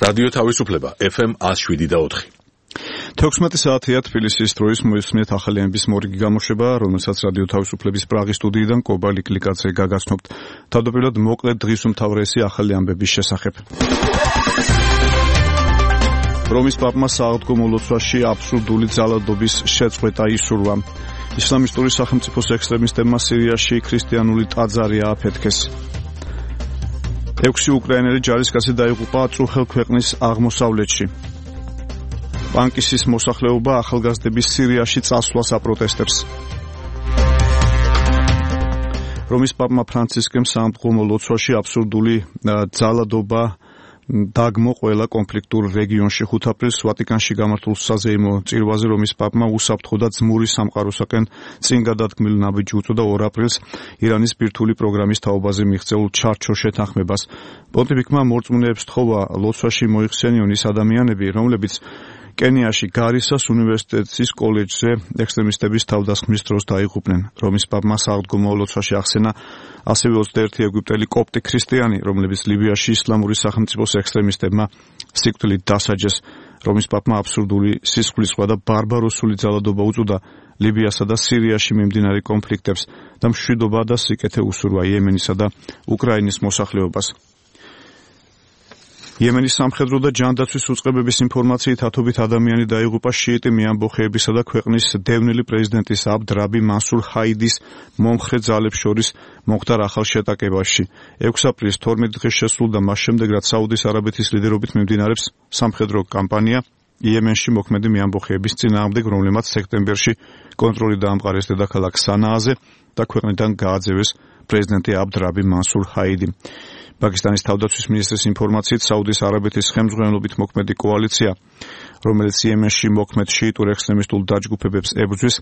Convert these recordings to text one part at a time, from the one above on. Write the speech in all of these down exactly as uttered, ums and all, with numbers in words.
რადიო თავისუფლება ეფ ემ one oh seven და four. თექვსმეტი საათია თბილისის დროის მოისმენთ ახალი ამბის მორიგი გამოშვება, რომელსაც რადიო თავისუფლების პრაღის სტუდიიდან კობალი კლიკაძე გაგაცნობთ. თავდაპირველად მოკლედ დღის უმთავრესი ახალი ამბების შესახებ. რომის პაპმა სააღდგომო ლოცვაში აბსურდული ძალადობის შეწყვეტა ისურვა. ისლამისტური სახელმწიფოს ექსტრემისტებმა სირიაში ქრისტიანული ტაძარი ააფეთქეს. ექვსი უკრაინელი ჯარისკაცი დაიღუპა წუხელ ქვეყნის აღმოსავლეთში. ბანკისის მოსახლეობა ახალგაზრდების სირიაში წასვლას აპროტესტებს. რომის პაპმა ფრანცისკემ სააღდგომო ლოცვაში აბსურდული ძალადობა დაგმო ყველა კონფლიქტურ რეგიონში. ხუთ აპრილს ვატიკანში გამართულ საზეიმო წირვაზე რომის პაპმა უსაფრთხო და ძმური სამყაროსაკენ წინ გადადგმილ ნაბიჯი უწოდა ორ აპრილს ირანის ბირთვული პროგრამის თაობაზე მიღწეულ ჩარჩო შეთანხმებას. პონტიფიკმა მორწმუნეებს თხოვა ლოცვაში მოიხსენიონ ის ადამიანები, რომლებიც კენიაში გარისას უნივერსიტეტის კოლეჯზე ექსტრემისტების თავდასხმის დროს დაიღუპნენ. რომის პაპმა სააღდგომო ლოცვაში ახსენა ასევე ოცდაერთი ეგვიპტელი კოპტი ქრისტიანი, რომლებიც ლიბიაში ისლამური სახელმწიფოს ექსტრემისტებმა სიკვდილით დასაჯეს. რომის პაპმა აბსურდული სისხლისღვრა და ბარბაროსული ძალადობა უწოდა ლიბიასა და სირიაში მიმდინარე კონფლიქტებს და მშვიდობა და სიკეთე უსურვა იემენისა და უკრაინის მოსახლეობას. იემენის სამხედრო და ჯანდაცვის უწყებების ინფორმაციით ათობით ადამიანი დაიღუპა შიიტი მეამბოხეებისა და ქვეყნის დევნილი პრეზიდენტის აბდ რაბი მანსურ ჰაიდის მომხრე ძალებს შორის მომხდარ ახალ შეტაკებაში. ექვსი აპრილის თორმეტი დღე შესრულდა მას შემდეგ, რაც საუდის არაბეთის ლიდერობით მიმდინარეობს სამხედრო კამპანია იემენში მოქმედი მეამბოხეების წინააღმდეგ, რომლებმაც სექტემბერში კონტროლი დაამყარეს დედაქალაქ სანააზე და ქვეყნიდან გააძევეს პრეზიდენტი აბდ რაბი მანსურ ჰაიდი. პაკისტანის თავდაცვის მინისტრის ინფორმაციით საუდის არაბეთის ხელმძღვანელობით მოქმედი კოალიცია, რომელიც იემენში მოქმედ შიიტურ ექსტრემისტულ დაჯგუფებებს ებრძვის,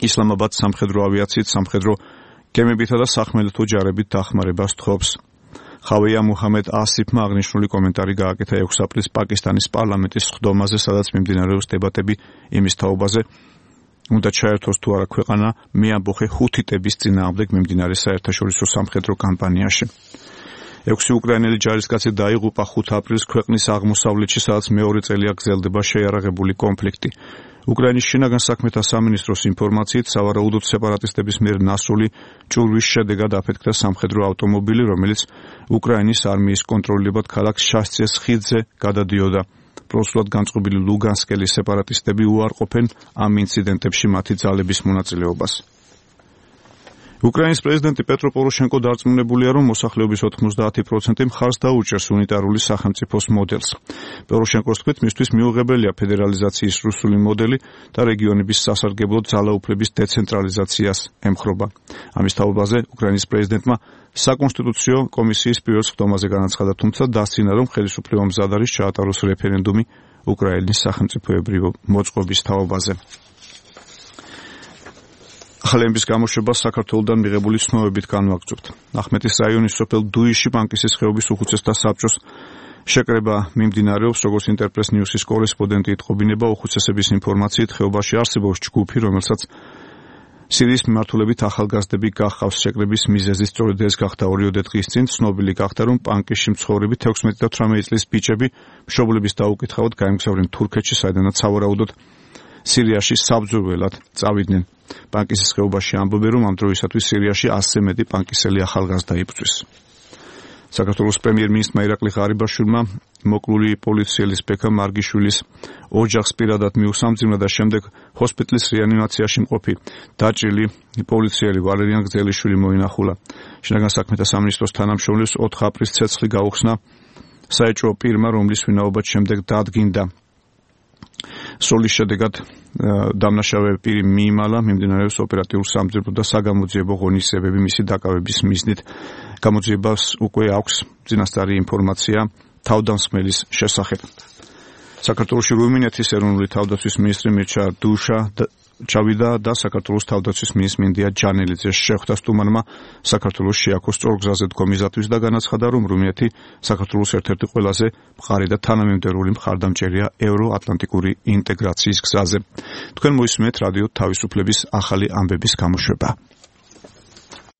ისლამაბადს სამხედრო ავიაციით, სამხედრო გემებითა და სახმელეთო ჯარებით დახმარებას თხოვს. ხავეია მუჰამედ ასიფმა აღნიშნული კომენტარი გააკეთა ექვსი აპრილს პაკისტანის პარლამენტის სხდომაზე, სადაც მიმდინარეობს დებატები იმის თაობაზე, უნდა ჩაერთოს თუ არა ქვეყანა მეამბოხე ჰუთიტების წინააღმდეგ მიმდინარე საერთაშორისო სამხედრო კამპანიაში. ექვსი უკრაინელი ჯარისკაცი დაიღუპა ხუთ აპრილს ქვეყნის აღმოსავლეთში, სადაც მეორე წელია გრძელდება შეიარაღებული კონფლიქტი. უკრაინის შინაგან საქმეთა სამინისტროს ინფორმაციით, სავარაუდოდ სეპარატისტების მიერ ნასრული ჭურვის შედეგად აფეთქდა სამხედრო ავტომობილი, რომელიც უკრაინის არმიის კონტროლებად ქალაქ შასცეს ხიდზე გადადიოდა. პროსულად განწყობილი ლუგანსკელი სეპარატისტები უარყოფენ ამ ინციდენტებში მათი ძალების მონაწილეობას. უკრაინის პრეზიდენტი პეტრო პოროშენკო დარწმუნებულია, რომ მოსახლეობის ოთხმოცდაათი პროცენტი მხარს დაუჭერს უნიტარული სახელმწიფოს მოდელს. პოროშენკოს თქმით, მისთვის მიუღებელია ფედერალიზაციის რუსული მოდელი და რეგიონების სასარგებლოდ ძალაუფლების დეცენტრალიზაციას ემხრობა. ამის თაობაზე უკრაინის პრეზიდენტმა საკონსტიტუციო კომისიის პირველ სხდომაზე განაცხადა, თუმცა დასცინა, რომ ხელისუფლება მზად არის ჩაატაროს რეფერენდუმი უკრაინის სახელმწიფოებრივი მოწყობის თაობაზე. ახალების გამოშვებას საქართველოდან მიღებული ცნობებით განვაგრძობთ. ახმეტის რაიონის სოფელ დუიში ბანკისის ხეობის უხუცესთა საბჭოს შეკრება მიმდინარეობს, როგორც ინტერპრეს ნიუსის კორესპონდენტი იტყობინება. უხუცესების ინფორმაციით ხეობაში არსებობს ჯგუფი, რომელსაც სირიის მიმართულებით ახალგაზრდები გახავს. შეკრების მიზეზი სწორედ ეს გახდა ორიოდე დღის წინ. ცნობილი გახდა, რომ ბანკში მცხოვრები თექვსმეტი და თვრამეტი წლის ბიჭები მშობლების დაუკითხავად გაემგზავრნენ თურქეთში, საიდანაც სავარაუდოდ სირიაში საბრძოლველად წავიდნენ. ბანკისის ხეობაში ამბობენ, რომ ამ დროისათვის სირიაში ასზე მეტი ბანკისელი ახალგაზრდა იბრძვის. საქართველოს პრემიერ-მინისტრმა ირაკლი ღარიბაშვილმა მოკლული პოლიციელის ბექა მარგიშვილის ოჯახს პირადად მიუსამძიმნა და შემდეგ ჰოსპიტალის რეანიმაციაში მყოფი დაჭრილი პოლიციელი ვალერიან გძელიშვილი მოინახულა. შინაგან საქმეთა სამინისტროს თანამშრომლებს ოთხ აპრილს ცეცხლი გაუხსნა საეჭვო პირმა, რომლის ვინაობაც შემდეგ დადგინდა. სროლის შედეგად დამნაშავე პირი მიიმალა, მიმდინარეობს ოპერატიულ სამძებნო და საგამოძიებო ღონისძიებები მისი დაკავების მიზნით. გამოძიებას უკვე აქვს წინასწარი ინფორმაცია თავდამსხმელის შესახებ. საქართველოში რუმინეთის ეროვნული თავდაცვის მინისტრი მირჩა დუშა ჩავიდა და საქართველოს თავდაცვის მინისტრ მინდია ჯანელიძე შეხვდა სტუმარმა საქართველოს შეაქოს სწორგზაზე დგომისათვის და განაცხადა, რომ რუმინეთი საქართველოს ერთ-ერთი ყველაზე მყარი და თანამიმდევრული მხარდამჭერია ევროატლანტიკური ინტეგრაციის გზაზე. თქვენ მოისმენთ რადიო თავისუფლების ახალი ამბების გამოშვება.